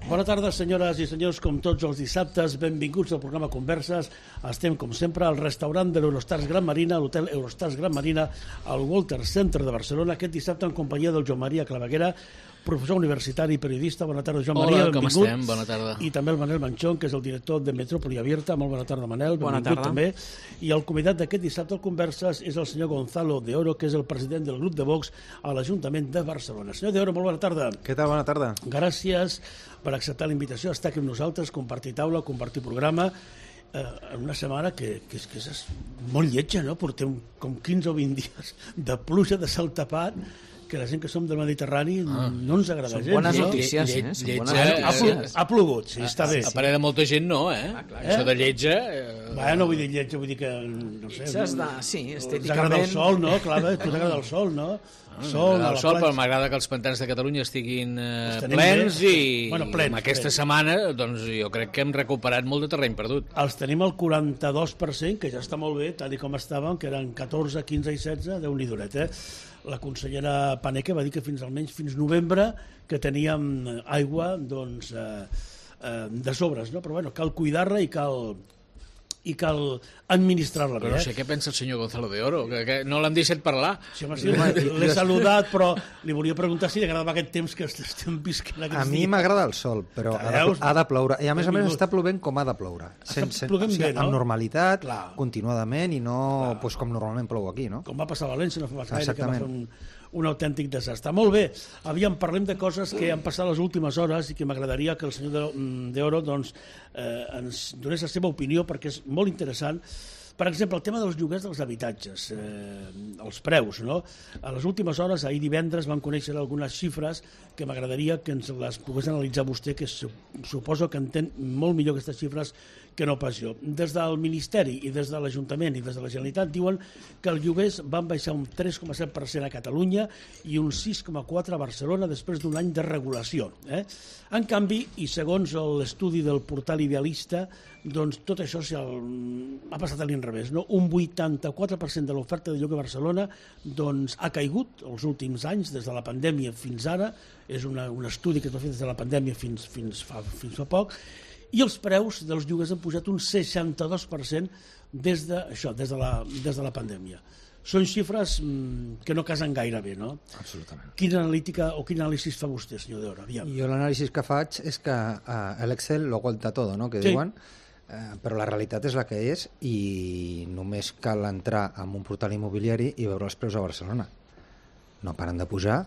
Bona tarda, senyores i senyors, com tots els dissabtes, benvinguts al programa Converses. Estem, com sempre, al restaurant de l'Eurostars Gran Marina, l'hotel Eurostars Gran Marina, al Walter Center de Barcelona, aquest dissabte en companyia del Joan Maria Claveguera, professor universitari i periodista. Bona tarda, Joan Maria, benvingut. Hola, com estem? Bona tarda. I també el Manel Manchón, que és el director de Metrópoli Abierta. Molt bona tarda, Manel. Bona tarda. També. També. I el convidat d'aquest dissabte al Converses és el senyor Gonzalo de Oro, que és el president del grup de Vox a l'Ajuntament de Barcelona. Senyor de Oro, molt bona tarda. Què tal? Bona tarda. Gràcies per acceptar la invitació a estar aquí amb nosaltres, compartir taula, compartir programa, en una setmana que és molt lletja, no? Portem com 15 o 20 dies de pluja, de cel tapat, que la gent que som del Mediterrani no ens agrada gens. Són bones no? notícies, Ha plogut, sí, està bé. A parer de molta gent no, Això de lletja... No vull dir lletja, vull dir que, no sé... Sí, estèticament... T'agrada el sol, no? Clar, tu t'agrada el sol, no? Però m'agrada que els pantans de Catalunya estiguin plens i plens, en aquesta setmana doncs, jo crec que hem recuperat molt de terreny perdut. Els tenim al 42%, que ja està molt bé, tal com estàvem, que eren 14, 15 i 16, Déu-n'hi duret, La consellera Paneque va dir que almenys fins novembre que teníem aigua doncs, de sobres, no? Però bueno, cal cuidar-la i cal administrar-la bé. Però no sé què pensa el senyor Gonzalo de Oro, que no l'han deixat parlar. Sí, l'he saludat, però li volia preguntar si li agradava aquest temps que estem visquent aquests dies. A mi m'agrada el sol, però ha de ploure. I a més està plovent com ha de ploure. Amb normalitat, continuadament, i no com normalment plou aquí, no? Com va passar a València, no fa gaire, que va fer un autèntic desastre. Molt bé, parlem de coses que han passat les últimes hores i que m'agradaria que el senyor de Oro ens donés la seva opinió, perquè és molt interessant. Per exemple, el tema dels lloguers dels habitatges, els preus, no? A les últimes hores, ahir divendres, van conèixer algunes xifres que m'agradaria que ens les pogués analitzar vostè, que suposo que entén molt millor aquestes xifres que no pas jo. Des del Ministeri i des de l'Ajuntament i des de la Generalitat diuen que els lloguers van baixar un 3,7% a Catalunya i un 6,4% a Barcelona després d'un any de regulació. En canvi, i segons l'estudi del portal Idealista, doncs tot això ha passat a l'inrevés, no? Un 84% de l'oferta de lloguer a Barcelona doncs, ha caigut els últims anys, des de la pandèmia fins ara. És un estudi que es va fer des de la pandèmia fins fa poc, i els preus dels lloguers han pujat un 62% des de la pandèmia. Són xifres que no casen gaire bé, no? Absolutament. Quina analítica o quin anàlisi fa vostè, senyor de Oro? Jo l'anàlisi que faig és que l'Excel lo aguanta tot, no? Que diuen, però la realitat és la que és i només cal entrar en un portal immobiliari i veure els preus a Barcelona. No paren de pujar,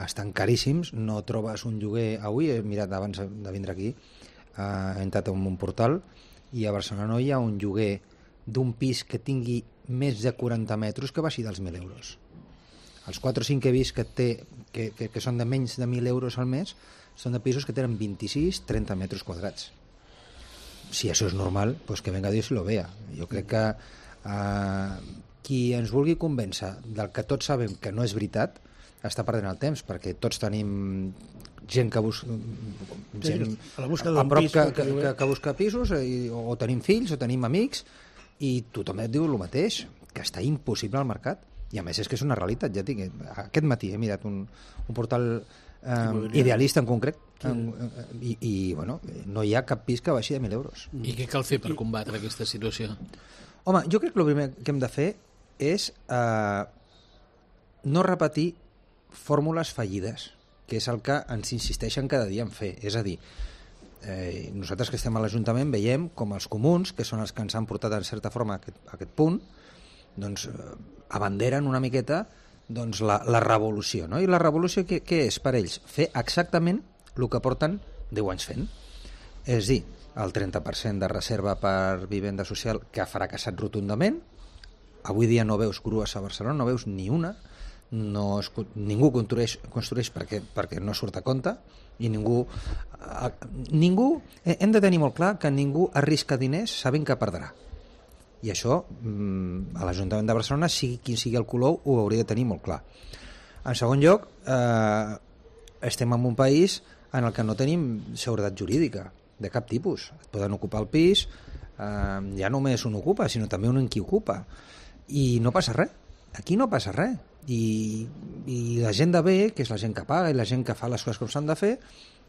estan caríssims, no trobes un lloguer avui, he mirat abans de vindre aquí, he entrat en un portal i a Barcelona no hi ha un lloguer d'un pis que tingui més de 40 metres que baixi dels 1.000 euros. Els 4 o 5 que he vist que són de menys de 1.000 euros al mes són de pisos que tenen 26-30 metres quadrats. Si això és normal, pues que venga Dios y lo vea. Jo crec que qui ens vulgui convèncer del que tots sabem que no és veritat està perdent el temps, perquè tots tenim gent que busca que busca pisos, o tenim fills o tenim amics, i tothom et diu el mateix, que està impossible al mercat, i a més és que és una realitat. Ja tinc, aquest matí he mirat un portal Idealista en concret, i bueno, no hi ha cap pis que baixi de 1.000 euros. I què cal fer per combatre aquesta situació? Home, jo crec que el primer que hem de fer és no repetir fórmules fallides, que és el que ens insisteixen cada dia en fer. És a dir, nosaltres que estem a l'Ajuntament veiem com els comuns, que són els que ens han portat en certa forma a aquest punt, doncs abanderen una miqueta doncs, la revolució, no? I la revolució què és per ells? Fer exactament el que porten 10 anys fent. És dir, el 30% de reserva per vivenda social, que ha fracassat rotundament. Avui dia no veus grues a Barcelona, no veus ni una, ningú construeix perquè no surt a compte, i ningú hem de tenir molt clar que ningú arrisca diners sabent que perdrà, i això a l'Ajuntament de Barcelona, sigui quin sigui el color, ho hauria de tenir molt clar. En segon lloc, estem en un país en el que no tenim seguretat jurídica de cap tipus. Et poden ocupar el pis, ja només un ocupa, sinó també un qui ocupa, i no passa res. Aquí no passa res, i la gent de bé, que és la gent que paga i la gent que fa les coses com s'han de fer,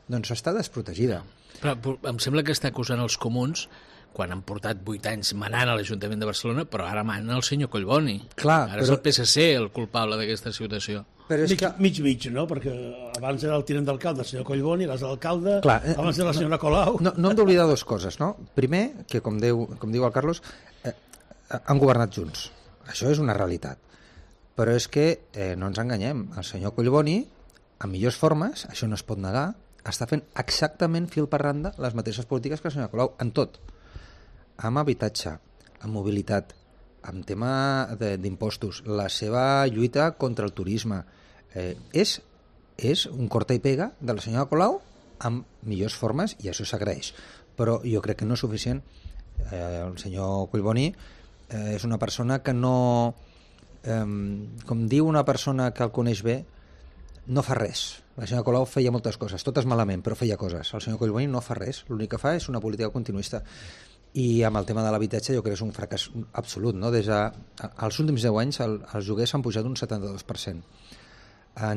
doncs està desprotegida. Però em sembla que està acusant els comuns quan han portat 8 anys manant a l'Ajuntament de Barcelona, però ara mana el senyor Collboni. Clar, ara és el PSC el culpable d'aquesta situació. Però és mig, no? Perquè abans era el tinent d'alcalde, el senyor Collboni, era l'alcalde, abans era la senyora Colau. No hem d'oblidar dues coses, no? Primer, que com diu el Carlos, han governat junts. Això és una realitat. Però és que no ens enganyem. El senyor Collboni, en millors formes, això no es pot negar, està fent exactament fil per randa les mateixes polítiques que la senyora Colau, en tot. Amb habitatge, amb mobilitat, amb tema d'impostos, la seva lluita contra el turisme. És un corta i pega de la senyora Colau amb millors formes, i això s'agraeix. Però jo crec que no és suficient. El senyor Collboni és una persona que no... com diu una persona que el coneix bé, no fa res. La senyora Colau feia moltes coses, totes malament, però feia coses. El senyor Collboni no fa res, l'únic que fa és una política continuista. I amb el tema de l'habitatge jo crec que és un fracàs absolut, no? Els últims 10 anys els lloguers s'han pujat un 72%.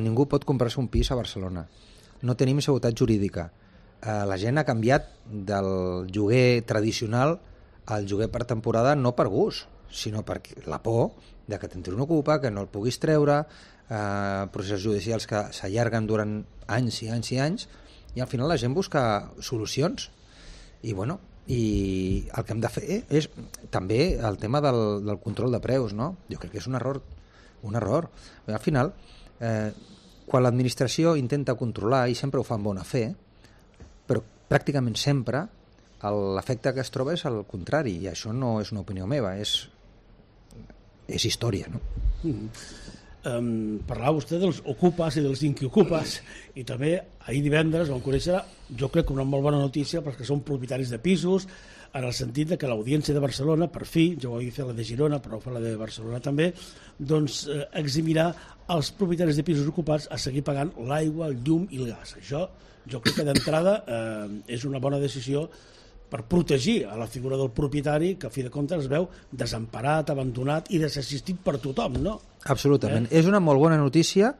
Ningú pot comprar-se un pis a Barcelona. No tenim seguretat jurídica. La gent ha canviat del lloguer tradicional al lloguer per temporada, no per gust, sinó per la por de que t'entri un ocupa, que no el puguis treure, processos judicials que s'allarguen durant anys i anys i anys, i al final la gent busca solucions. I bueno, i el que hem de fer és també el tema del control de preus, no? Jo crec que és un error. Al final, quan l'administració intenta controlar, i sempre ho fa amb bona fe, però pràcticament sempre l'efecte que es troba és el contrari, i això no és una opinió meva, és història, no? Parlava vostè dels ocupes i dels inquiocupes, i també ahir divendres vam conèixer, jo crec que una molt bona notícia perquè són propietaris de pisos, en el sentit de que l'Audiència de Barcelona, per fi, jo ho havia fet la de Girona però ho fa la de Barcelona també, doncs eximirà els propietaris de pisos ocupats a seguir pagant l'aigua, el llum i el gas. Això jo crec que d'entrada és una bona decisió per protegir a la figura del propietari, que a fi de comptes es veu desemparat, abandonat i desassistit per tothom, no? Absolutament. És una molt bona notícia.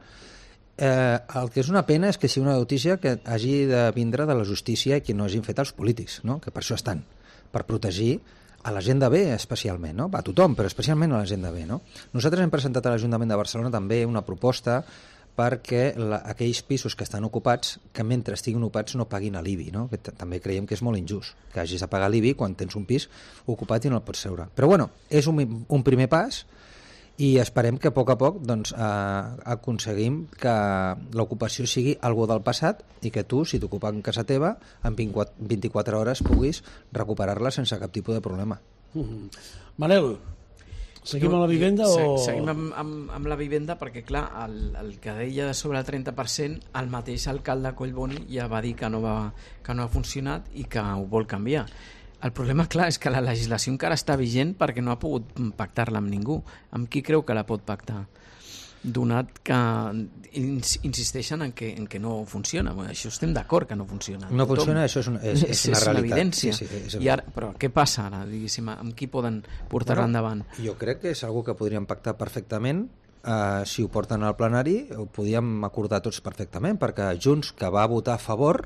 El que és una pena és que sigui una notícia que hagi de vindre de la justícia i que no hagin fet els polítics, no? Que per això estan, per protegir a la gent de bé especialment, no? A tothom, però especialment a la gent de bé, no? Nosaltres hem presentat a l'Ajuntament de Barcelona també una proposta perquè aquells pisos que estan ocupats, que mentre estiguin ocupats no paguin l'IBI, no? Que també creiem que és molt injust, que hagis de pagar l'IBI quan tens un pis ocupat i no el pots treure. Però bueno, és un primer pas, i esperem que a poc doncs, aconseguim que l'ocupació sigui algo del passat i que tu, si t'ocupen en casa teva, en 24 hores puguis recuperar-la sense cap tipus de problema. Manel, seguim amb la vivenda o...? Seguim amb la vivenda perquè, clar, el que deia sobre el 30%, el mateix alcalde Collboni ja va dir que no ha funcionat i que ho vol canviar. El problema, clar, és que la legislació encara està vigent perquè no ha pogut pactar-la amb ningú. Amb qui creu que la pot pactar? Donat que insisteixen en que no funciona. Bueno, això estem d'acord que no funciona. No funciona, això és una realitat. Una evidència. Sí, però què passa ara, diguéssim? Amb qui poden portar-la endavant? Jo crec que és algo que podríem pactar perfectament. Si ho porten al plenari, ho podíem acordar tots perfectament, perquè Junts, que va votar a favor...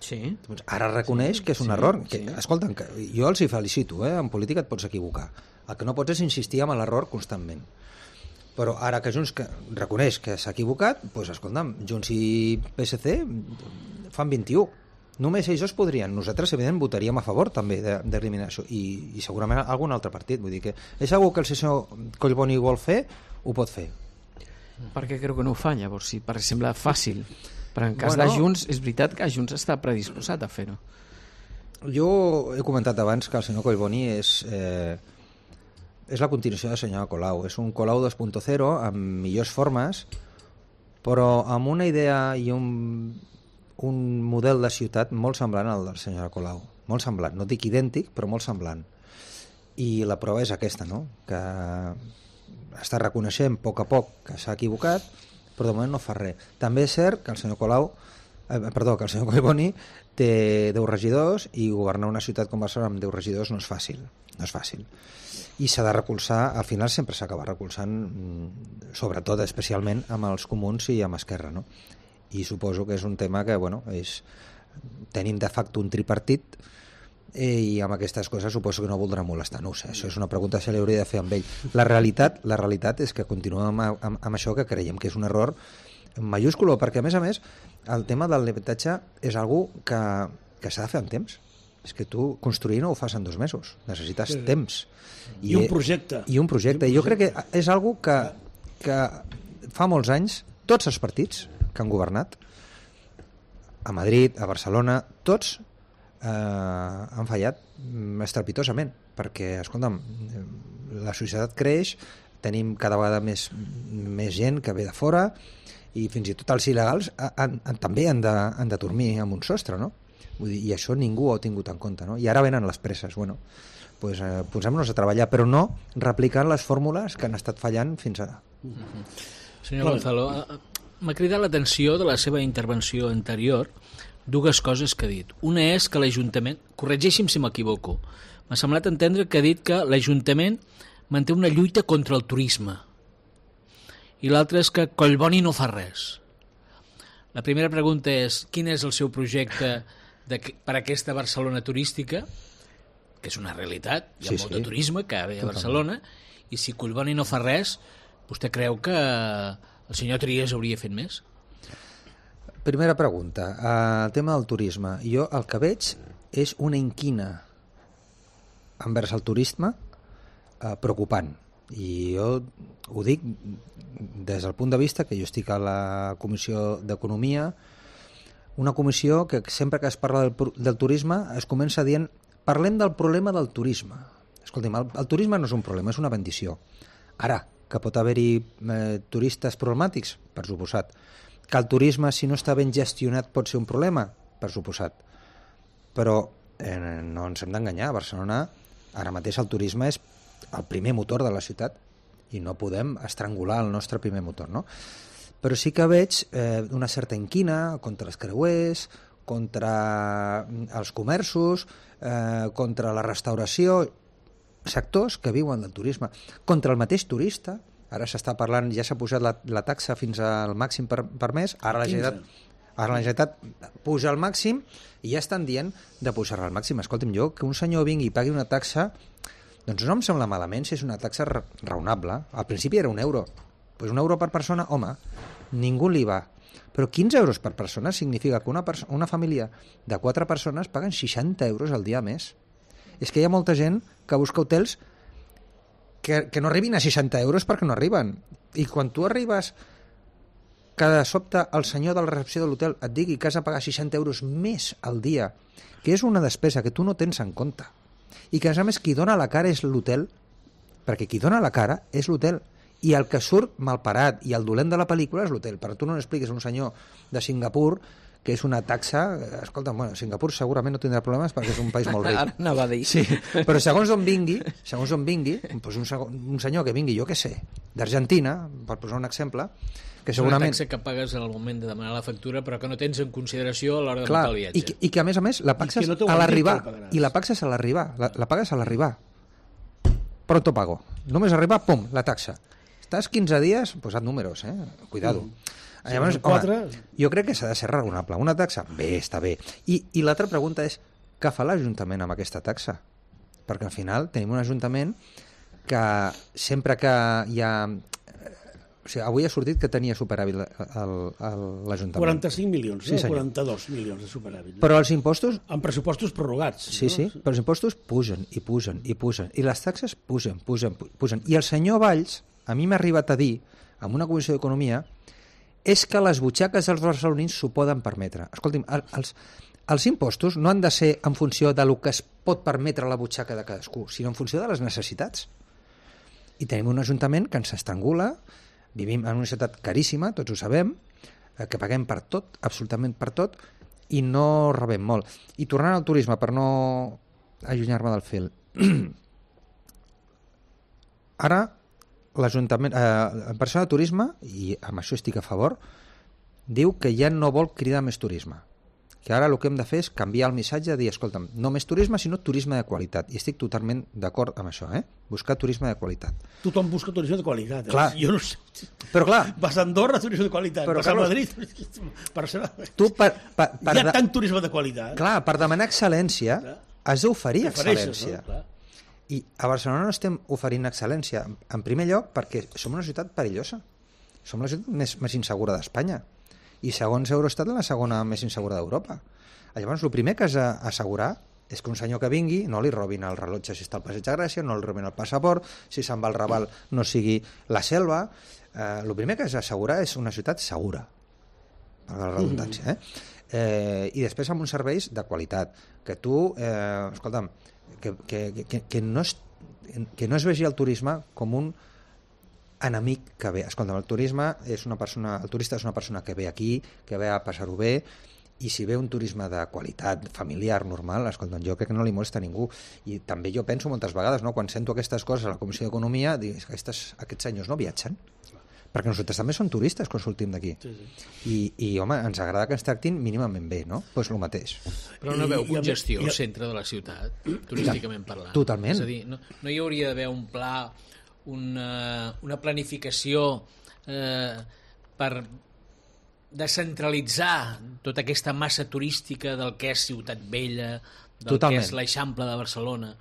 Sí. Doncs ara reconeix que és un error. Escolta, jo els hi felicito, en política et pots equivocar. El que no pots és insistir en l'error constantment. Però ara que Junts reconeix que s'ha equivocat, doncs escolta'm, Junts i PSC fan 21. Només ells podrien. Nosaltres, evidentment, votaríem a favor també d'eliminar això. I segurament algun altre partit. Vull dir que és algo que el senyor Collboni vol fer, ho pot fer. Per què creu que no ho fa, llavors? Si per sembla fàcil. Però en cas de Junts, és veritat que Junts està predisposat a fer-ho. Jo he comentat abans que el senyor Collboni és la continuació de la senyora Colau. És un Colau 2.0 amb millors formes, però amb una idea i un model de ciutat molt semblant al de la senyora Colau. Molt semblant, no dic idèntic, però molt semblant. I la prova és aquesta, no? Que està reconeixent a poc que s'ha equivocat, però de moment no fa res. També és cert que el senyor Collboni té 10 regidors i governar una ciutat com Barcelona amb 10 regidors no és fàcil. I s'ha de recolzar, al final sempre s'acaba recolzant, sobretot, especialment amb els comuns i amb Esquerra, no? I suposo que és un tema que, bueno, és tenim de facto un tripartit i amb aquestes coses suposo que no voldrà molestar, no ho sé, això és una pregunta que se li hauria de fer amb ell. La realitat és que continuem amb això, que creiem que és un error mayúsculo, perquè a més el tema del l'habitatge és algo que s'ha de fer en temps. És que tu construir no ho fas en 2 mesos, necessites temps. I un projecte. I un projecte. Jo crec que és algo que fa molts anys tots els partits que han governat a Madrid, a Barcelona, tots han fallat estrepitosament, perquè, escolta'm, la societat creix, tenim cada vegada més gent que ve de fora i fins i tot els il·legals també han de dormir amb un sostre, no? Vull dir, i això ningú ho ha tingut en compte, no? I ara venen les presses, bueno, pues, posem-nos a treballar, però no replicant les fórmules que han estat fallant fins ara. Senyor Gonzalo, m'ha cridat l'atenció de la seva intervenció anterior 2 coses que ha dit. Una és que l'Ajuntament, corregeixi'm si m'equivoco, m'ha semblat entendre que ha dit que l'Ajuntament manté una lluita contra el turisme i l'altra és que Collboni no fa res. La primera pregunta és quin és el seu projecte per a aquesta Barcelona turística, que és una realitat, hi ha molt de turisme que ve a Barcelona, i si Collboni no fa res, vostè creu que el senyor Trias hauria fet més? Primera pregunta, el tema del turisme. Jo el que veig és una inquina envers el turisme preocupant. I jo ho dic des del punt de vista que jo estic a la Comissió d'Economia, una comissió que sempre que es parla del turisme es comença dient parlem del problema del turisme. Escolti'm, el turisme no és un problema, és una bendició. Ara, que pot haver-hi turistes problemàtics, per suposat. Que el turisme, si no està ben gestionat, pot ser un problema, per suposat. Però no ens hem d'enganyar. A Barcelona, ara mateix el turisme és el primer motor de la ciutat i no podem estrangular el nostre primer motor, no? Però sí que veig una certa inquina contra els creuers, contra els comerços, contra la restauració, sectors que viuen del turisme, contra el mateix turista. Ara s'està parlant, ja s'ha pujat la taxa fins al màxim per mes, ara la Generalitat puja al màxim i ja estan dient de pujar-la al màxim. Escolta'm, jo, que un senyor vingui i pagui una taxa, doncs no em sembla malament si és una taxa raonable. Al principi era €1. Pues €1 per persona, home, ningú li va. Però 15 euros per persona significa que una família de 4 persones paguen 60 euros al dia més. És que hi ha molta gent que busca hotels que no arribin a 60 euros perquè no arriben. I quan tu arribes que de sobte el senyor de la recepció de l'hotel et digui que has de pagar 60 euros més al dia, que és una despesa que tu no tens en compte, i que a més qui dona la cara és l'hotel, perquè qui dona la cara és l'hotel, i el que surt malparat i el dolent de la pel·lícula és l'hotel. Però tu no expliques a un senyor de Singapur que és una taxa... Escolta, bueno, Singapur segurament no tindrà problemes perquè és un país molt ric. Ara anava a dir. Sí, però segons on vingui, doncs un senyor que vingui, jo què sé, d'Argentina, per posar un exemple, que segurament... És una taxa que pagues en el moment de demanar la factura però que no tens en consideració a l'hora de muntar el viatge. I que a més la pagues a l'arribar. I la pagues a l'arribar. La pagues a l'arribar. Pronto pago. Només arribar, pum, la taxa. Estàs 15 dies, posat números, cuidado. Llavors, home, jo crec que s'ha de ser raonable. Una taxa? Bé, està bé. I l'altra pregunta és, què fa l'Ajuntament amb aquesta taxa? Perquè al final tenim un Ajuntament que sempre que hi ha... O sigui, avui ha sortit que tenia superàvit l'Ajuntament. 45 milions, sí, 42 milions de superàvit. Però els impostos... Amb pressupostos prorrogats. Sí, sí, però els impostos pugen i pugen i pugen. I les taxes pugen. I el senyor Valls, a mi m'ha arribat a dir, en una comissió d'Economia, és que les butxaques dels barcelonins s'ho poden permetre. Escolti'm, els impostos no han de ser en funció del que es pot permetre la butxaca de cadascú, sinó en funció de les necessitats. I tenim un ajuntament que ens estrangula, vivim en una ciutat caríssima, tots ho sabem, que paguem per tot, absolutament per tot, i no rebem molt. I tornant al turisme, per no allunyar-me del fil, ara l'Ajuntament, en persona de turisme, i amb això estic a favor, diu que ja no vol cridar més turisme. que ara el que hem de fer és canviar el missatge, dir, escolta'm, no més turisme, sinó turisme de qualitat. I estic totalment d'acord amb això, buscar turisme de qualitat. Tothom busca turisme de qualitat. Clar. Jo no sé. Però clar... Vas a Andorra, turisme de qualitat. Però, vas a Carlos, Madrid... Tu hi ha tant turisme de qualitat. Clar, per demanar excel·lència has d'oferir excel·lència. No? I a Barcelona no estem oferint excel·lència. En primer lloc, perquè som una ciutat perillosa. Som la ciutat més insegura d'Espanya. I segons Eurostat la segona més insegura d'Europa. Llavors, el primer que has d'assegurar és que un senyor que vingui no li robin el rellotge si està al Passeig de Gràcia, no li robin el passaport, si se'n va al Raval no sigui la selva. El primer que has d'assegurar és una ciutat segura, per la redundància. I després amb uns serveis de qualitat. Que tu, escolta'm, que no es vegi el turisme com un enemic que ve. Escolta, el turista és una persona que ve aquí, que ve a passar-ho bé, i si ve un turisme de qualitat familiar, normal, escolta, jo crec que no li molesta a ningú. I també jo penso moltes vegades, no, quan sento aquestes coses a la Comissió d'Economia, dic que aquests senyors no viatgen, perquè nosaltres també som turistes quan sortim d'aquí. I home, ens agrada que ens tractin mínimament bé, no? Doncs el mateix. Però no veu congestió al centre de la ciutat, turísticament parlant. Totalment. És a dir, no hi hauria d'haver un pla, una planificació per descentralitzar tota aquesta massa turística del que és Ciutat Vella, del que és l'Eixample de Barcelona.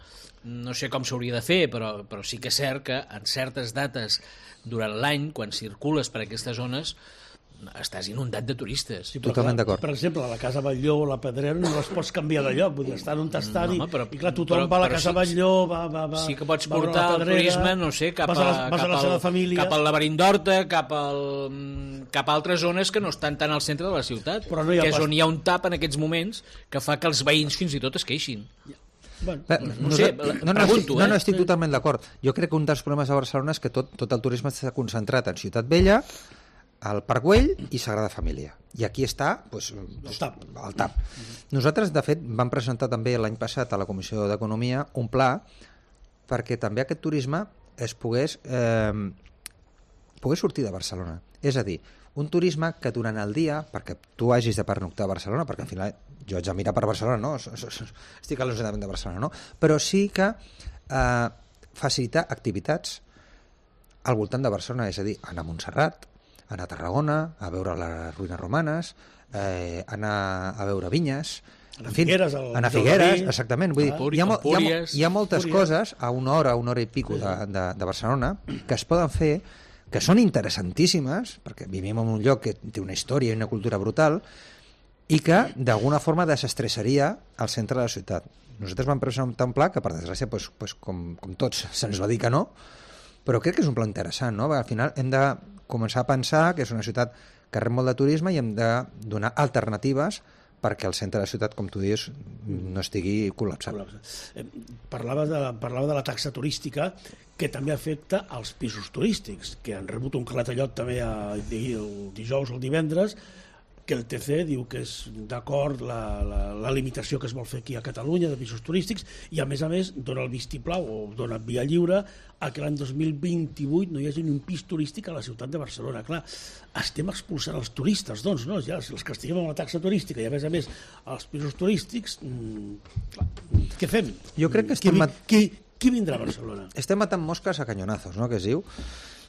No sé com s'hauria de fer, però sí que és cert que en certes dates durant l'any, quan circules per aquestes zones, estàs inundat de turistes. Sí, totalment d'acord. Per exemple, a la Casa Batlló o la Pedrera no les pots canviar de lloc, vull dir, estan on estan i clar, tothom va a la Casa Batlló, va sí que pots portar el turisme, no sé, cap al Laberint d'Horta, cap a altres zones que no estan tan al centre de la ciutat, que és on hi ha un tap en aquests moments que fa que els veïns fins i tot es queixin. No estic totalment d'acord. Jo crec que un dels problemes de Barcelona és que tot el turisme està concentrat en Ciutat Vella, al Parc Güell i Sagrada Família. I aquí està el TAP. Nosaltres, de fet, vam presentar també l'any passat a la Comissió d'Economia un pla perquè també aquest turisme es pogués sortir de Barcelona. És a dir, un turisme que durant el dia, perquè tu hagis de pernoctar a Barcelona, perquè al final jo haig de mirar per Barcelona, no? Estic a l'Ajuntament de Barcelona, no? Però sí que facilitar activitats al voltant de Barcelona, és a dir, anar a Montserrat, anar a Tarragona, a veure les ruïnes romanes, anar a veure vinyes, anar a Figueres, exactament. Vull dir, hi ha moltes coses a una hora i pico de Barcelona que es poden fer, que són interessantíssimes, perquè vivim en un lloc que té una història i una cultura brutal, i que d'alguna forma desestressaria el centre de la ciutat. Nosaltres vam presentar un pla que, per desgràcia, com tots se'ns va dir que no, però crec que és un pla interessant, no? Al final hem de començar a pensar que és una ciutat que rep molt de turisme i hem de donar alternatives perquè el centre de la ciutat, com tu dius, no estigui col·lapsat. Parlava de la taxa turística, que també afecta als pisos turístics, que han rebut un clatellot també el dijous o el divendres, que el TC diu que és d'acord la limitació que es vol fer aquí a Catalunya de pisos turístics i a més dona el vistiplau o dona via lliure a que l'any 2028 no hi hagi ni un pis turístic a la ciutat de Barcelona. Clar, estem expulsant els turistes, doncs, no? Ja, si els castiguem amb la taxa turística i a més els pisos turístics, clar, què fem? Jo crec que qui vindrà a Barcelona? Estem matant mosques a canyonazos, no?, que es diu.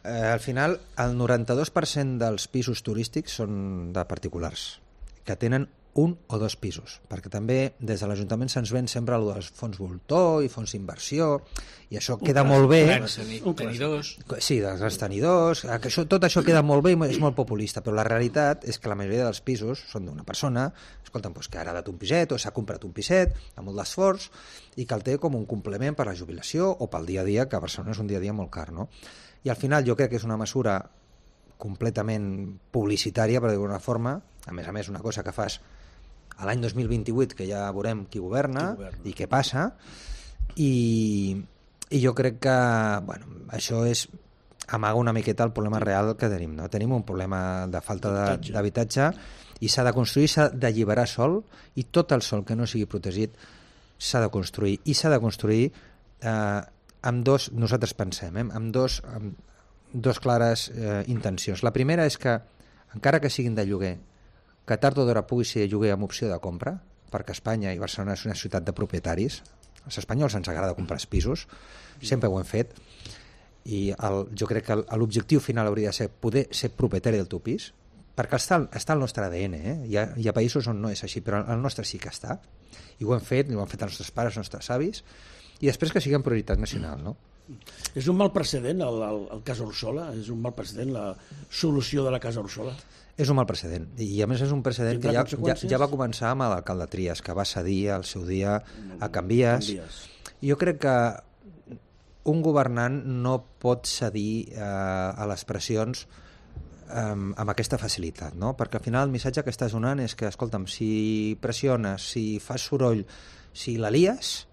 Al final, el 92% dels pisos turístics són de particulars, que tenen un o dos pisos, perquè també des de l'Ajuntament se'ns ven sempre el dels fons voltor i fons d'inversió, i això queda molt bé. Tenidors. Sí, dels tenidors, tot això queda molt bé i és molt populista, però la realitat és que la majoria dels pisos són d'una persona, escolta'm, que ha heredat un piset o s'ha comprat un piset amb molt d'esforç i que el té com un complement per la jubilació o pel dia a dia, que a Barcelona és un dia a dia molt car, no? I al final jo crec que és una mesura completament publicitària, per dir-ho d'alguna forma, a més una cosa que fas a l'any 2028, que ja veurem qui governa i què passa, i jo crec que això és amaga una miqueta el problema real que tenim, no? Tenim un problema de falta d'habitatge i s'ha de construir, s'ha d'alliberar sòl, i tot el sòl que no sigui protegit s'ha de construir, i s'ha de construir amb nosaltres pensem, amb dos clares intencions. La primera és que, encara que siguin de lloguer, que tard o d'hora pugui ser lloguer amb opció de compra, perquè Espanya i Barcelona és una ciutat de propietaris. Als espanyols ens agrada comprar pisos, sempre ho hem fet, i jo crec que l'objectiu final hauria de ser poder ser propietari del teu pis, perquè està al nostre ADN, hi ha països on no és així, però el nostre sí que està, i ho han fet els nostres pares, els nostres avis, i després que siguem prioritat nacional, no? És un mal precedent el cas Orsola? És un mal precedent la solució de la Casa Orsola? És un mal precedent, i a més és un precedent que ja va començar amb l'alcalde Trias, que va cedir al seu dia a Canvies. Jo crec que un governant no pot cedir a les pressions amb aquesta facilitat, no? Perquè al final el missatge que estàs donant és que, escolta'm, si pressiones, si fas soroll, si la lies,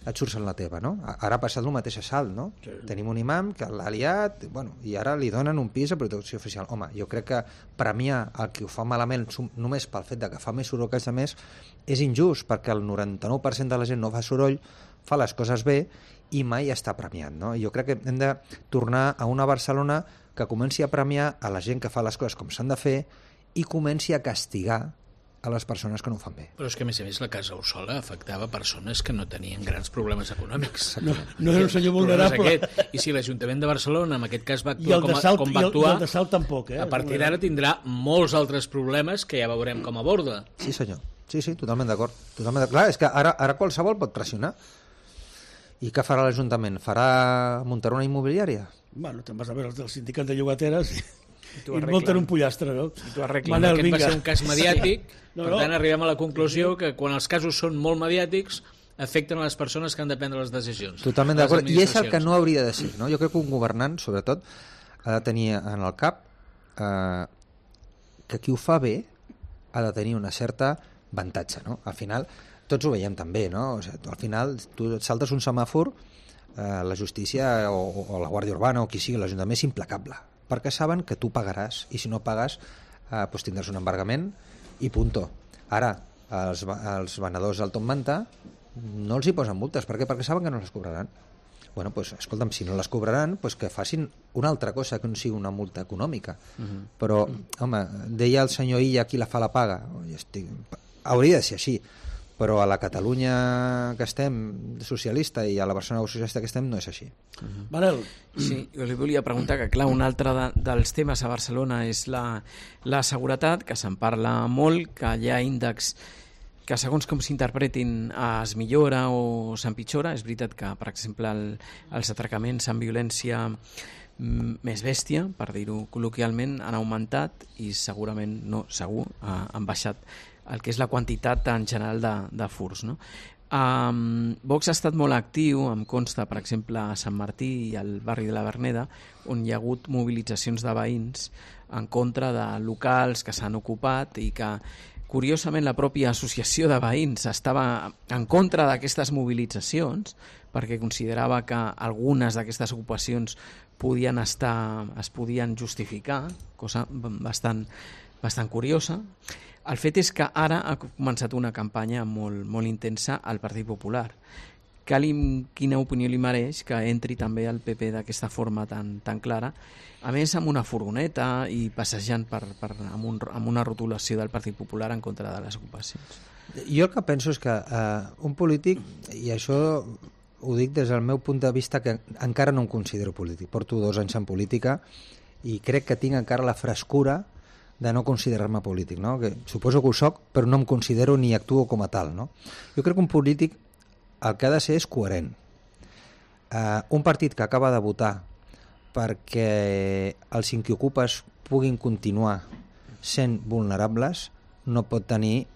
et surts en la teva, no? Ara ha passat el mateix a Salt, no? Sí. Tenim un imam que l'ha liat, i ara li donen un pis de protecció oficial. Home, jo crec que premiar el que ho fa malament només pel fet de que fa més soroll que els altres és injust, perquè el 99% de la gent no fa soroll, fa les coses bé i mai està premiat, no? Jo crec que hem de tornar a una Barcelona que comenci a premiar a la gent que fa les coses com s'han de fer i comenci a castigar a les persones que no ho fan bé. Però és que, a més, la Casa Orsola afectava persones que no tenien grans problemes econòmics. No era un senyor vulnerable. I si l'Ajuntament de Barcelona, en aquest cas, va actuar com va actuar, i el de Salt tampoc, a partir d'ara tindrà molts altres problemes que ja veurem com aborda. Sí, senyor. Sí, totalment d'acord. Clar, és que ara qualsevol pot pressionar. I què farà l'Ajuntament? Muntarà una immobiliària? Bueno, te'n vas a veure el sindicat de llogateres i munten un pollastre, no? I t'ho arreglen. Aquest va ser un cas mediàtic, per tant arribem a la conclusió que quan els casos són molt mediàtics afecten a les persones que han de prendre les decisions. Totalment d'acord, i és el que no hauria de ser, no? Jo crec que un governant, sobretot, ha de tenir en el cap que qui ho fa bé ha de tenir una certa avantatge, no? Al final, tots ho veiem també, no? O sigui, al final, tu et saltes un semàfor, la justícia o la Guàrdia Urbana o qui sigui, l'Ajuntament és implacable, perquè saben que tu pagaràs, i si no pagues doncs tindràs un embargament i punto. Ara, els venedors al Top Manta no els hi posen multes. Per què? Perquè saben que no les cobraran. Bueno, doncs, escolta'm, si no les cobraran, doncs que facin una altra cosa que no sigui una multa econòmica. Però, home, deia el senyor Illa, qui la fa la paga. Hauria de ser així, però a la Catalunya que estem socialista i a la Barcelona socialista que estem no és així. Manel. Sí, jo li volia preguntar que, clar, un altre dels temes a Barcelona és la seguretat, que se'n parla molt, que hi ha índexs que segons com s'interpretin es millora o s'empitjora. És veritat que, per exemple, els atracaments amb violència més bèstia, per dir-ho col·loquialment, han augmentat i segurament, no, segur, han baixat el que és la quantitat en general de furts, no? Vox ha estat molt actiu, em consta, per exemple, a Sant Martí i al barri de la Verneda, on hi ha hagut mobilitzacions de veïns en contra de locals que s'han ocupat i que, curiosament, la pròpia associació de veïns estava en contra d'aquestes mobilitzacions perquè considerava que algunes d'aquestes ocupacions es podien justificar, cosa bastant curiosa. El fet és que ara ha començat una campanya molt intensa al Partit Popular. Quina opinió li mereix que entri també el PP d'aquesta forma tan clara, a més amb una furgoneta i passejant amb una rotulació del Partit Popular en contra de les ocupacions? Jo el que penso és que un polític, i això ho dic des del meu punt de vista que encara no em considero polític, porto 2 anys en política i crec que tinc encara la frescura de no considerar-me polític, no? Que suposo que ho soc, però no em considero ni actuo com a tal, no? Jo crec que un polític el que ha de ser és coherent. Un partit que acaba de votar perquè els inquiocupes puguin continuar sent vulnerables no pot tenir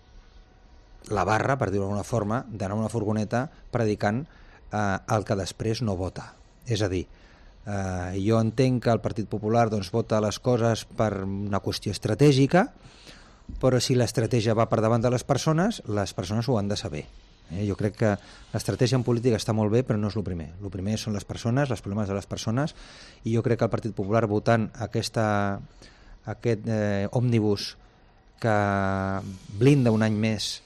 la barra, per dir-ho d'alguna forma, d'anar a una furgoneta predicant el que després no vota. És a dir, jo entenc que el Partit Popular vota les coses per una qüestió estratègica, però si l'estratègia va per davant de les persones ho han de saber. Jo crec que l'estratègia en política està molt bé, però no és el primer. El primer són les persones, els problemes de les persones, i jo crec que el Partit Popular votant aquest òmnibus que blinda un any més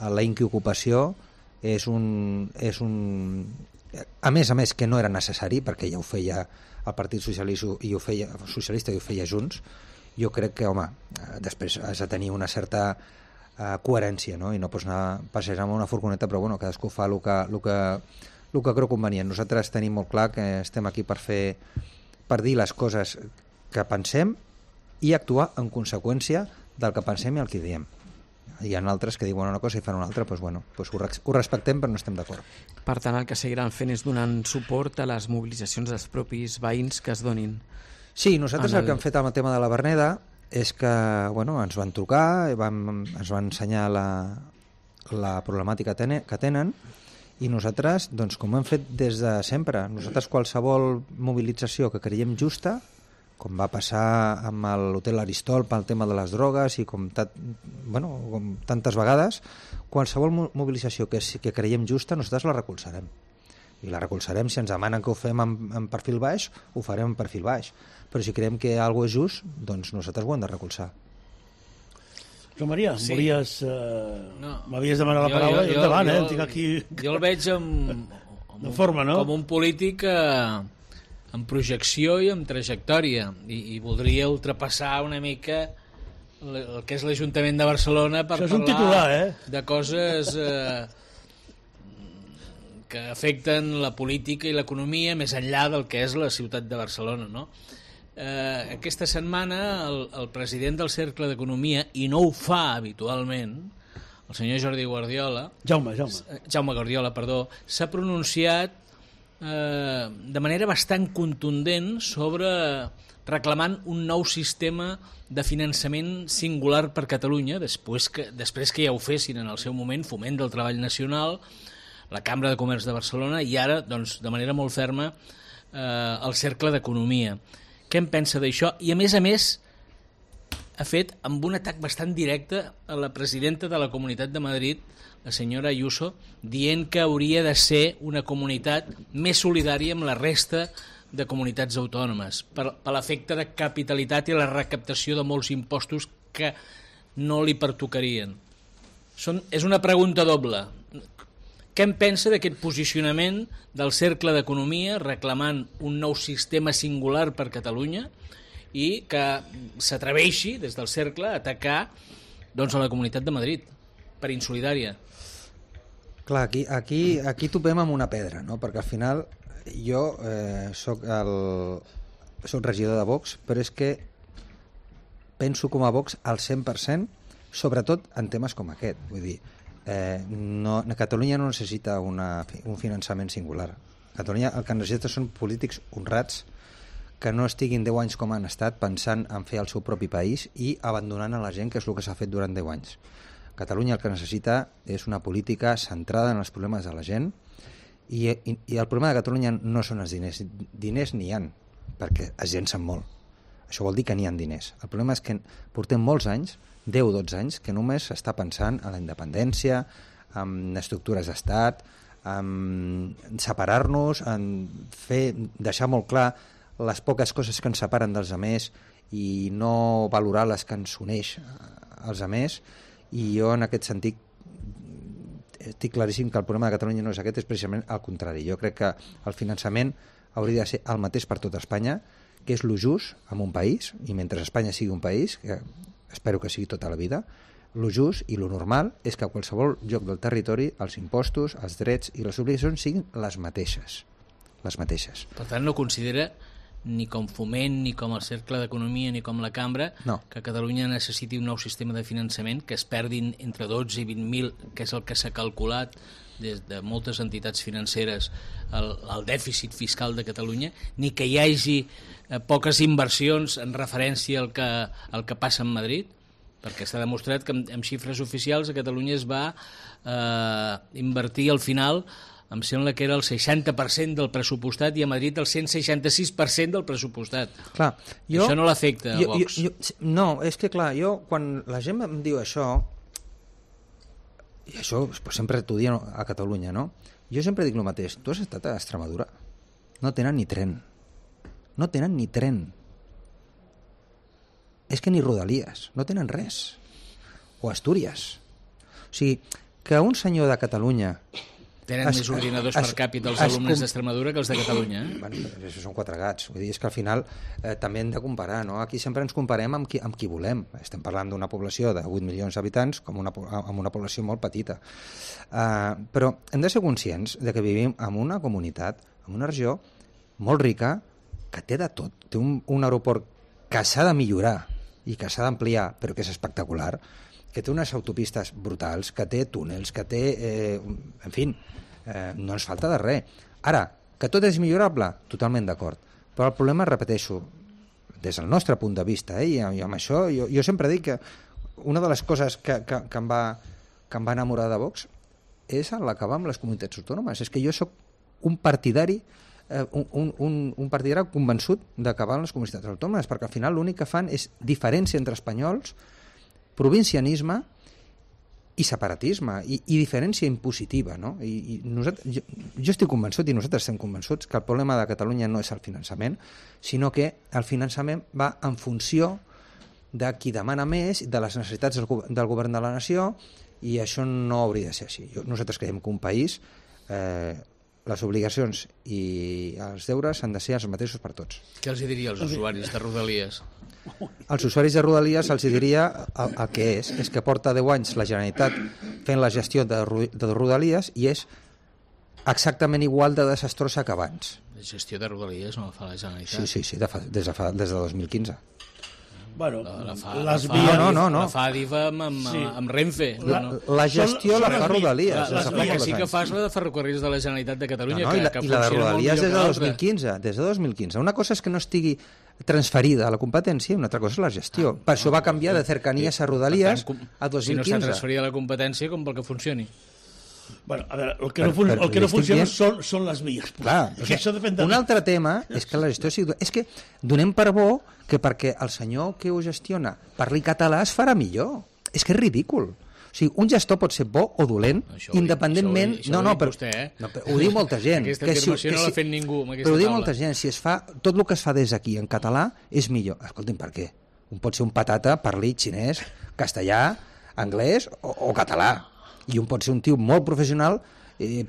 la inquiocupació és un a més que no era necessari, perquè ja ho feia el Partit Socialista i ho feia Junts, jo crec que, home, després has de tenir una certa coherència, no? I no pots anar passejant amb una furgoneta, però bueno, cadascú fa el que creu convenient. Nosaltres tenim molt clar que estem aquí per dir les coses que pensem i actuar en conseqüència del que pensem i el que diem. Hi ha altres que diuen una cosa i fan una altra, doncs, bueno, doncs ho respectem però no estem d'acord. Per tant, el que seguiran fent és donant suport a les mobilitzacions dels propis veïns que es donin. Sí, nosaltres el que hem fet amb el tema de la Verneda és que bueno, ens van trucar, ens van ensenyar la problemàtica que tenen i nosaltres, doncs, com hem fet des de sempre, nosaltres qualsevol mobilització que creiem justa, com va passar amb l'hotel Aristol pel tema de les drogues i com tantes vegades, qualsevol mobilització que creiem justa nosaltres la recolzarem. I la recolzarem, si ens demanen que ho fem en perfil baix, ho farem en perfil baix. Però si creiem que alguna cosa és just, doncs nosaltres ho hem de recolzar. Joan Maria, sí. m'havies demanat la paraula i endavant, tinc aquí... Jo el veig com un polític amb projecció i amb trajectòria i voldria ultrapassar una mica el que és l'Ajuntament de Barcelona per parlar de coses que afecten la política i l'economia més enllà del que és la ciutat de Barcelona, no? Aquesta setmana el president del Cercle d'Economia, i no ho fa habitualment, el senyor Jordi Guardiola, Jaume Guardiola, s'ha pronunciat de manera bastant contundent sobre reclamant un nou sistema de finançament singular per Catalunya, després que ja ho fessin en el seu moment Foment del Treball Nacional, la Cambra de Comerç de Barcelona i ara, doncs, de manera molt ferma, el Cercle d'Economia. Què en pensa d'això? I a més, ha fet amb un atac bastant directe a la presidenta de la Comunitat de Madrid, la senyora Ayuso, dient que hauria de ser una comunitat més solidària amb la resta de comunitats autònomes, per l'efecte de capitalitat i la recaptació de molts impostos que no li pertocarien. És una pregunta doble. Què en pensa d'aquest posicionament del Cercle d'Economia reclamant un nou sistema singular per Catalunya i que s'atreveixi des del Cercle a atacar a la Comunitat de Madrid per insolidària? Clar, aquí topem amb una pedra, no? Perquè al final jo soc regidor de Vox, però és que penso com a Vox al 100%, sobretot en temes com aquest. Vull dir, Catalunya no necessita un finançament singular. Catalunya el que necessita són polítics honrats que no estiguin 10 anys com han estat pensant en fer el seu propi país i abandonant a la gent, que és el que s'ha fet durant 10 anys. Catalunya el que necessita és una política centrada en els problemes de la gent i el problema de Catalunya no són els diners. Diners n'hi ha, perquè es llencen molt. Això vol dir que n'hi ha diners. El problema és que portem molts anys, 10-12 anys, que només s'està pensant en la independència, en estructures d'estat, en separar-nos, en deixar molt clar les poques coses que ens separen dels altres i no valorar les que ens uneix als altres. I jo en aquest sentit estic claríssim que el problema de Catalunya no és aquest, és precisament el contrari. Jo crec que el finançament hauria de ser el mateix per tota Espanya, que és lo just en un país, i mentre Espanya sigui un país, que espero que sigui tota la vida, lo just i lo normal és que a qualsevol lloc del territori els impostos, els drets i les obligacions siguin les mateixes. Per tant, no considera ni com Foment, ni com el Cercle d'Economia, ni com la Cambra, que Catalunya necessiti un nou sistema de finançament, que es perdin entre 12 i 20.000, que és el que s'ha calculat des de moltes entitats financeres, el dèficit fiscal de Catalunya, ni que hi hagi poques inversions en referència al que passa en Madrid, perquè s'ha demostrat que amb xifres oficials a Catalunya es va invertir al final, em sembla que era el 60% del pressupostat, i a Madrid el 166% del pressupostat. Clar, això no l'afecta a Vox. No, és que clar, quan la gent em diu això, i això sempre t'ho diuen a Catalunya, no? Jo sempre dic el mateix. Tu has estat a Extremadura? No tenen ni tren. No tenen ni tren. És que ni Rodalies. No tenen res. O Astúries. O sigui, que un senyor de Catalunya Tenen més ordinadors per càpita els alumnes d'Extremadura que els de Catalunya. Bueno, això són 4 gats. Vull dir, és que al final també hem de comparar, no? Aquí sempre ens comparem amb qui volem. Estem parlant d'una població de 8 milions d'habitants amb una població molt petita. Però hem de ser conscients de que vivim en una comunitat, en una regió molt rica, que té de tot. Té un aeroport que s'ha de millorar i que s'ha d'ampliar, però que és espectacular, que té unes autopistes brutals, que té túnels, que té... en fi, no ens falta de res. Ara, que tot és millorable? Totalment d'acord. Però el problema, repeteixo, des del nostre punt de vista, i amb això jo sempre dic que una de les coses que em va enamorar de Vox és l'acabar amb les comunitats autònomes. És que jo sóc un partidari un partidari convençut d'acabar amb les comunitats autònomes, perquè al final l'únic que fan és diferència entre espanyols, provincianisme i separatisme, i diferència impositiva, no? I jo estic convençut, i nosaltres estem convençuts, que el problema de Catalunya no és el finançament, sinó que el finançament va en funció de qui demana més, de les necessitats del govern de la nació, i això no hauria de ser així. Nosaltres creiem que un país, les obligacions i els deures han de ser els mateixos per tots. Què els diria als usuaris de Rodalies? Als usuaris de Rodalies els diria el que és que porta 10 anys la Generalitat fent la gestió de Rodalies i és exactament igual de desastrosa que abans. La gestió de Rodalies no la fa la Generalitat? Sí, des de 2015. Bueno, la fa Adif amb Renfe. La gestió la fa Rodalies. La que sí que fa és la de Ferrocarrils de la Generalitat de Catalunya. I la de Rodalies des de 2015. Una cosa és que no estigui transferida a la competència i una altra cosa és la gestió. Per això va canviar de Cercanías a Rodalies a 2015. Si no s'ha transferit a la competència, com pel que funcioni. Bueno, a veure, el que no funciona són les vies. Clar, un altre tema és que la gestió sigui... És que donem per bo que perquè el senyor que ho gestiona parli català es farà millor. És que és ridícul. O sigui, un gestor pot ser bo o dolent, independentment... Però ho diu molta gent. Aquesta afirmació no l'ha fet ningú amb aquesta taula. Però ho diu molta molta gent. Si es fa tot el que es fa des d'aquí en català és millor. Escolti'm, per què? Un pot ser un patata, parli xinès, castellà, anglès o català. I un pot ser un tio molt professional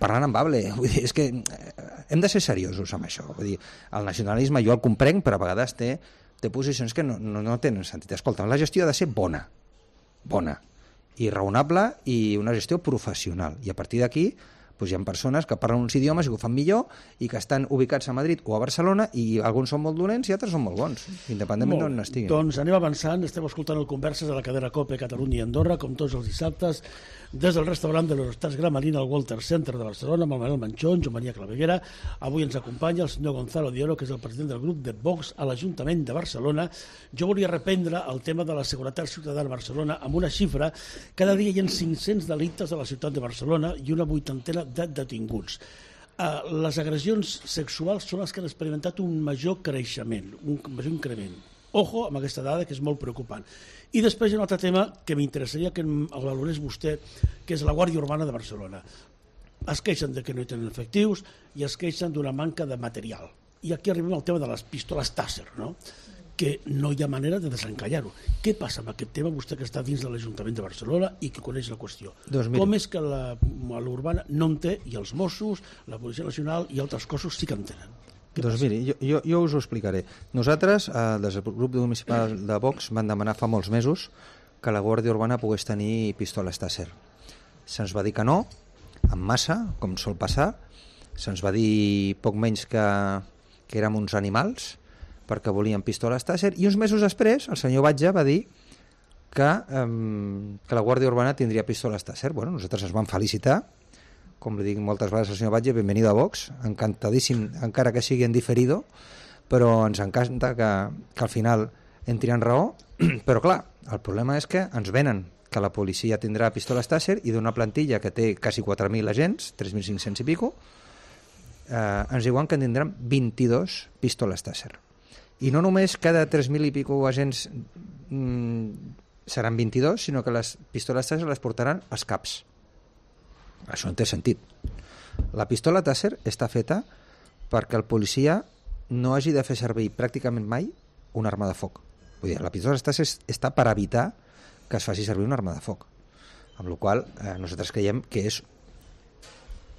parlant amb hable. Vull dir, és que hem de ser seriosos amb això. Vull dir, el nacionalisme jo el comprenc, però a vegades té posicions que no tenen sentit. Escolta, la gestió ha de ser bona, i raonable, i una gestió professional. I a partir d'aquí doncs hi ha persones que parlen uns idiomes i que ho fan millor i que estan ubicats a Madrid o a Barcelona i alguns són molt dolents i altres són molt bons, independentment d'on estiguin. Doncs anem avançant, estem escoltant el Converses de la cadena COPE Catalunya i Andorra, com tots els dissabtes, des del restaurant de l'Hortàs Gramarina al Walter Center de Barcelona, amb el Manuel Manchón, Joan Maria Claveguera. Avui ens acompanya el senyor Gonzalo de Oro, que és el president del grup de Vox a l'Ajuntament de Barcelona. Jo volia reprendre el tema de la seguretat ciutadana a Barcelona amb una xifra. Cada dia hi ha 500 delictes a la ciutat de Barcelona i una 80 de detinguts. Les agressions sexuals són les que han experimentat un major creixement, un major increment. Ojo amb aquesta dada, que és molt preocupant. I després hi ha un altre tema que m'interessaria que el valorés vostè, que és la Guàrdia Urbana de Barcelona. Es queixen de que no hi tenen efectius i es queixen d'una manca de material. I aquí arribem al tema de les pistoles Taser, no? Que no hi ha manera de desencallar-ho. Què passa amb aquest tema, vostè que està dins de l'Ajuntament de Barcelona i que coneix la qüestió? Com és que l'urbana no en té, i els Mossos, la Policia Nacional i altres cossos sí que en tenen? Doncs miri, jo us ho explicaré. Nosaltres, des del grup municipal de Vox, vam demanar fa molts mesos que la Guàrdia Urbana pogués tenir pistoles Taser. Se'ns va dir que no, en massa, com sol passar. Se'ns va dir poc menys que érem uns animals, perquè volien pistoles Taser, i uns mesos després el senyor Batlle va dir que la Guàrdia Urbana tindria pistoles Taser. Bueno, nosaltres ens vam felicitar, com li dic moltes vegades al senyor Batlle, benvenido a Vox, encantadíssim, encara que sigui en diferido, però ens encanta que al final entri en raó, però clar, el problema és que ens venen que la policia tindrà pistoles Taser i d'una plantilla que té quasi 4.000 agents, 3.500 i pico, ens diuen que en tindran 22 pistoles Taser. I no només cada 3.000 i pico agents seran 22, sinó que les pistoles Taser les portaran als CAPs. Això no té sentit. La pistola Taser està feta perquè el policia no hagi de fer servir pràcticament mai una arma de foc. Vull dir, la pistola Taser està per evitar que es faci servir una arma de foc. Amb la qual cosa nosaltres creiem que és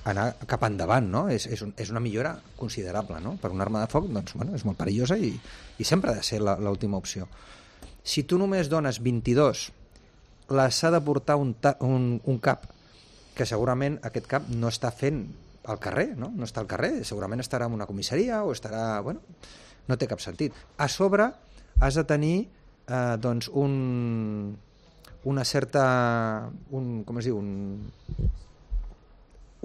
anar cap endavant, no? És una millora considerable, no? Per una arma de foc, doncs, bueno, és molt perillosa i sempre ha de ser l'última opció. Si tu només dones 22, les ha de portar un cap, que segurament aquest cap no està fent al carrer, no? No està al carrer, segurament estarà en una comissaria o estarà... Bueno, no té cap sentit. A sobre has de tenir doncs una certa... com es diu?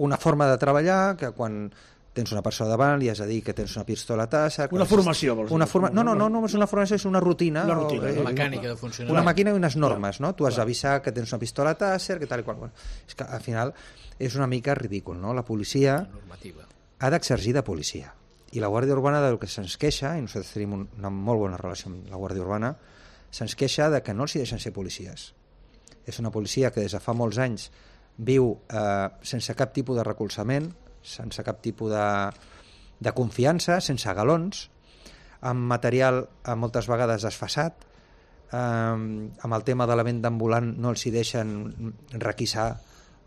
Una forma de treballar que quan tens una persona davant li has de dir que tens una pistola a tassa... Una formació, vols dir? No és una formació, és una rutina. Una rutina. Mecànica de funcionament. Una màquina i unes normes, no? Tu has d'avisar que tens una pistola a tàsser, que tal i qual. Bueno, és que al final és una mica ridícul, no? La policia ha d'exercir de policia. I la Guàrdia Urbana del que se'ns queixa, i nosaltres tenim una molt bona relació amb la Guàrdia Urbana, se'ns queixa de que no els hi deixen ser policies. És una policia que des de fa molts anys viu sense cap tipus de recolzament, sense cap tipus de confiança, sense galons, amb material moltes vegades desfasat, amb el tema de la venda ambulant no els hi deixen requisar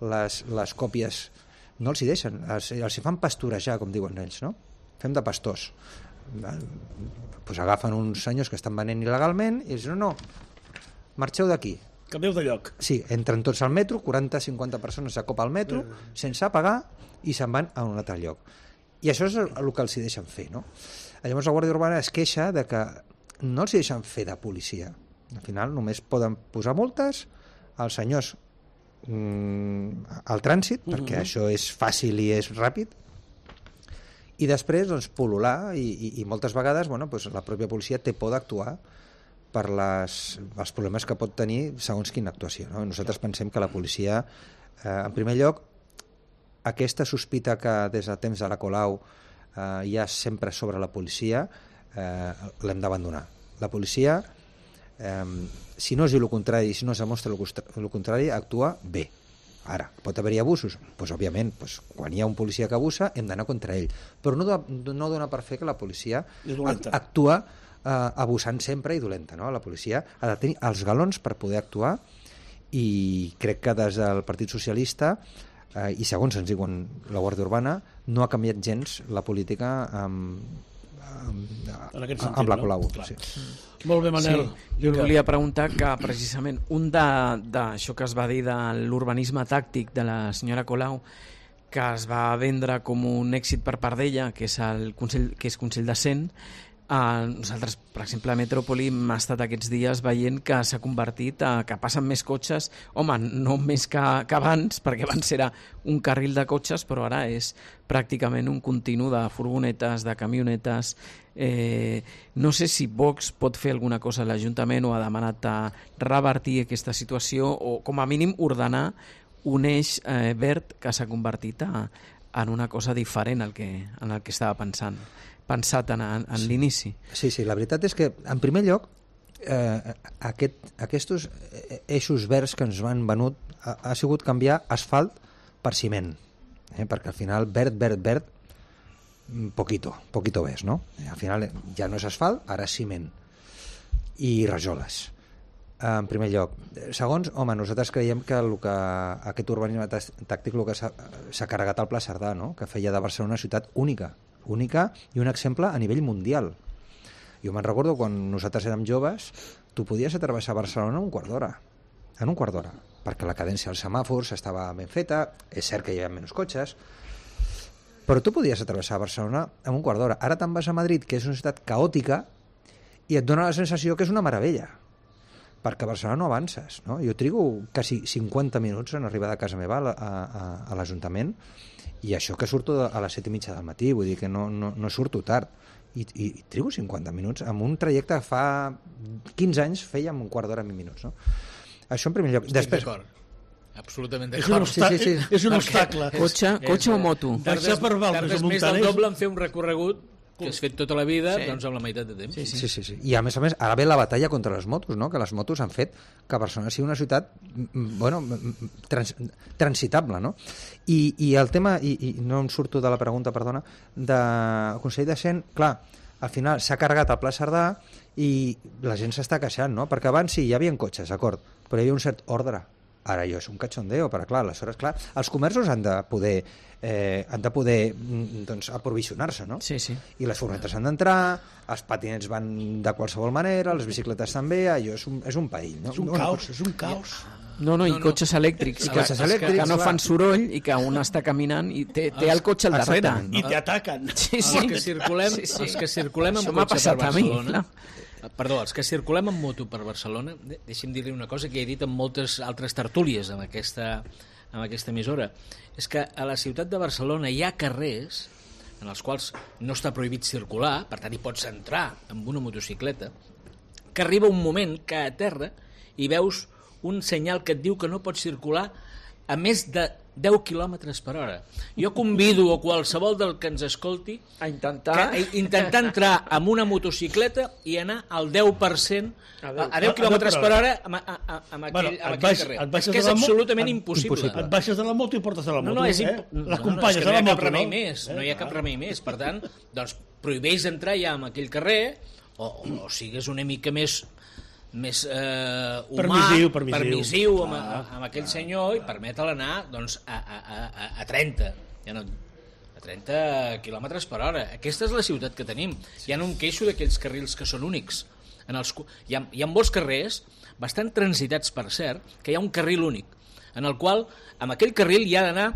les còpies, no els hi deixen, els hi fan pasturejar, com diuen ells, no? Fem de pastors. Pues agafen uns senyors que estan venent il·legalment i diuen, no, marxeu d'aquí. Canvieu de lloc. Sí, entren tots al metro, 40-50 persones a cop al metro, sense pagar, i se'n van a un altre lloc. I això és el que els hi deixen fer, no? Llavors la Guàrdia Urbana es queixa de que no els hi deixen fer de policia. Al final només poden posar multes als senyors al trànsit, perquè això és fàcil i és ràpid, i després doncs, pol·lular, i moltes vegades bueno, doncs, la pròpia policia té por d'actuar per els problemes que pot tenir segons quina actuació, no? Nosaltres pensem que la policia, en primer lloc, aquesta sospita que des de temps de la Colau hi ha sempre sobre la policia, l'hem d'abandonar. La policia, si no es diu el contrari, si no es demostra el contrari, actua bé. Ara, pot haver-hi abusos? Doncs, òbviament, quan hi ha un policia que abusa, hem d'anar contra ell. Però no dona per fer que la policia actua abusant sempre i dolenta, no? La policia ha de tenir els galons per poder actuar i crec que des del Partit Socialista i segons ens diuen la Guàrdia Urbana no ha canviat gens la política amb la Colau. No? Sí. Molt bé, Manel. Sí, jo volia preguntar que precisament un d'això que es va dir de l'urbanisme tàctic de la senyora Colau, que es va vendre com un èxit per part d'ella, que és Consell de Cent. Nosaltres, per exemple, a Metròpoli hem estat aquests dies veient que s'ha convertit que passen més cotxes, home, no més que abans, perquè abans era un carril de cotxes, però ara és pràcticament un continu de furgonetes, de camionetes. No sé si Vox pot fer alguna cosa a l'Ajuntament o ha demanat a revertir aquesta situació o, com a mínim, ordenar un eix verd que s'ha convertit en una cosa diferent en el que estava pensat en l'inici. Sí, la veritat és que, en primer lloc, aquests eixos verds que ens han venut ha sigut canviar asfalt per ciment, perquè al final verd, poquito ves, no? Al final ja no és asfalt, ara és ciment i rajoles. En primer lloc. Segons, home, nosaltres creiem que aquest urbanisme tàctic s'ha carregat al Pla Cerdà, no? Que feia de Barcelona una ciutat única i un exemple a nivell mundial. Jo me'n recordo quan nosaltres érem joves, tu podies travessar Barcelona en un quart d'hora, perquè la cadència dels semàfors estava ben feta, és cert que hi havia menys cotxes, però tu podies travessar Barcelona en un quart d'hora. Ara te'n vas a Madrid, que és una ciutat caòtica, i et dona la sensació que és una meravella, perquè a Barcelona no avances, no? Jo trigo quasi 50 minuts en arribar de casa meva a l'Ajuntament, i això que surto a les 7:30 del matí, vull dir que no surto tard, i trigo 50 minuts amb un trajecte que fa 15 anys feia en un quart d'hora, 20 minuts, no? Això en primer lloc. Estic d'acord, absolutament d'acord. És un obstacle. Cotxe o moto? Tardes més del doble en fer un recorregut que has fet tota la vida doncs amb la meitat de temps. Sí. I a més, ara ve la batalla contra les motos, no? Que les motos han fet que Barcelona sigui una ciutat transitable, no? I el tema, i no em surto de la pregunta, perdona, del Consell de Cent, clar, al final s'ha carregat el Pla Cerdà i la gent s'està queixant, no? Perquè abans sí, hi havia cotxes, d'acord, però hi havia un cert ordre. Ara allò és un cachondeo, però clar, aleshores, clar, els comerços han de poder doncs, aprovisionar-se, no? Sí, sí. I les furgonetes han d'entrar, els patinets van de qualsevol manera, les bicicletes també, allò és un perill, no? És un caos, és un caos. No, i cotxes elèctrics, que no fan soroll i que un està caminant i té el cotxe al darrere. I t'ataquen. Sí. Els que circulem amb cotxe per Barcelona... Perdó, els que circulem amb moto per Barcelona, deixi'm dir-li una cosa que he dit en moltes altres tertúlies amb aquesta emissora, és que a la ciutat de Barcelona hi ha carrers en els quals no està prohibit circular, per tant hi pots entrar amb una motocicleta, que arriba un moment que a terra hi veus un senyal que et diu que no pots circular a més de 10 km per hora. Jo convido a qualsevol del que ens escolti a intentar entrar amb una motocicleta i anar al 10% a 10 km per hora amb aquell carrer. És que és absolutament impossible. Et baixes de la moto i portes a la moto. L'acompanyes a la moto. No hi ha cap remei més. Per tant, doncs, prohibeix entrar ja en aquell carrer o sigues una mica més humà, permissiu amb aquell senyor i permet-el anar doncs, a 30 a 30 km per hora. Aquesta és la ciutat que tenim. Ja no em queixo d'aquells carrils que són únics. Hi ha molts carrers bastant transitats, per cert, que hi ha un carril únic en el qual amb aquell carril hi ha d'anar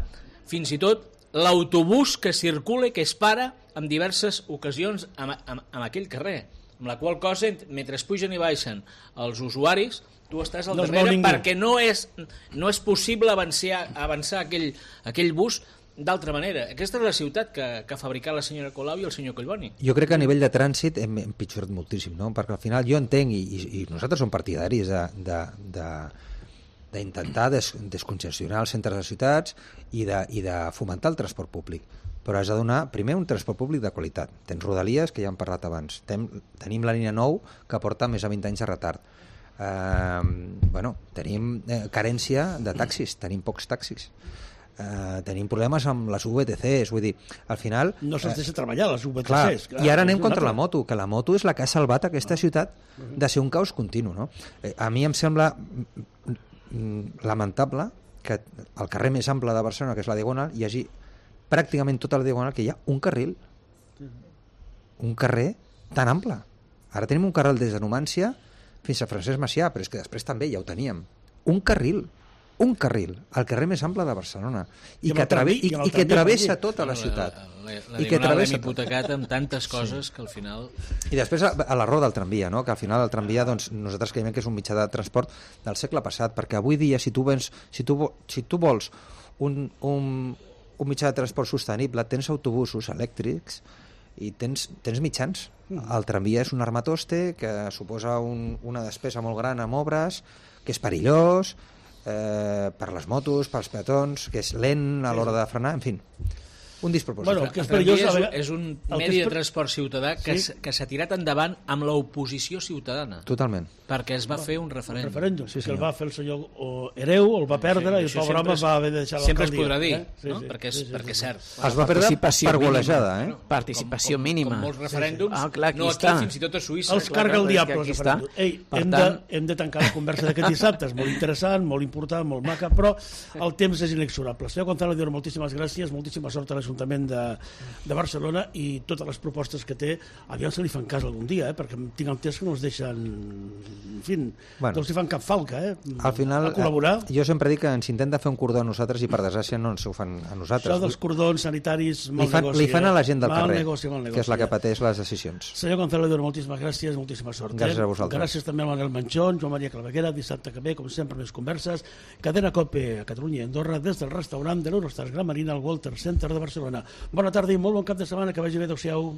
fins i tot l'autobús que circula i que es para en diverses ocasions en aquell carrer, amb la qual cosa, mentre pugen i baixen els usuaris, tu estàs al darrere perquè no és possible avançar aquell bus d'altra manera. Aquesta és la ciutat que ha fabricat la senyora Colau i el senyor Collboni. Jo crec que a nivell de trànsit hem empitjorat moltíssim, no? Perquè al final jo entenc, i nosaltres som partidaris d'intentar descongestionar els centres de ciutats i de fomentar el transport públic, però has de donar primer un transport públic de qualitat. Tens Rodalies, que ja hem parlat abans, tenim la línia 9 que porta més de 20 anys de retard, tenim carència de taxis, tenim pocs taxis, tenim problemes amb les VTCs, vull dir, al final... No se'ls deixa treballar, les VTCs. Clar, i ara anem contra la moto, que la moto és la que ha salvat aquesta ciutat de ser un caos continu, no? A mi em sembla lamentable que al carrer més ample de Barcelona, que és la Diagonal, hi hagi pràcticament tota la Diagonal que hi ha un carril, un carrer tan ample. Ara tenim un carril des de Numància fins a Francesc Macià, però és que després també ja ho teníem. Un carril, al carrer més ample de Barcelona, i que travessa tota la ciutat. La Diagonal l'hem hipotecat amb tantes coses que al final... I després a la roda del tramvia, no? Que al final el tramvia, doncs, nosaltres creiem que és un mitjà de transport del segle passat, perquè avui dia si tu vols un mitjà de transport sostenible, tens autobusos elèctrics i tens mitjans. El tramvia és un armatoste que suposa una despesa molt gran amb obres, que és perillós per les motos, pels peatons, que és lent a l'hora de frenar, en fi, un despropòsit. Bueno, el que és perillós és un medi de transport ciutadà que s'ha tirat endavant amb l'oposició ciutadana. Totalment. Perquè es va fer un referèndum. Sí, que el va fer el senyor Hereu, el va perdre i el pobre home va haver de deixar l'alcaldia. Sempre es podrà dir, no? Perquè és cert. Es va perdre per golejada, Participació mínima. Com molts referèndums, no aquí, fins i tot a Suïssa. Els carga el diable. Hem de tancar la conversa d'aquest dissabte. És molt interessant, molt important, molt maca, però el temps és inexorable. Senyor Gonzalo Dior, moltíssimes gràcies, moltíssima sort a l'Ajuntament de Barcelona i totes les propostes que té, aviam se li fan cas algun dia, perquè tinc entès que no els deixen, en fi, no els hi fan cap falca, al final, a col·laborar. Jo sempre dic que ens intenta fer un cordó a nosaltres i per desgràcia no ens ho fan a nosaltres. Això dels cordons sanitaris, mal negoci. Li fan a la gent del carrer, negoci, que és la que pateix les decisions. Senyor Gonzalo Dior, moltíssimes gràcies, moltíssima sort. Gràcies a vosaltres. Gràcies també al Manel Manchón, Joan Maria Claveguera, dissabte que ve, com sempre, més converses. Cadena COPE a Catalunya i Andorra, des del restaurant de l'Eurostars Gran Marina al Walter Center de Barcelona. Bona tarda i molt bon cap de setmana, que vagi bé, adéu-siau.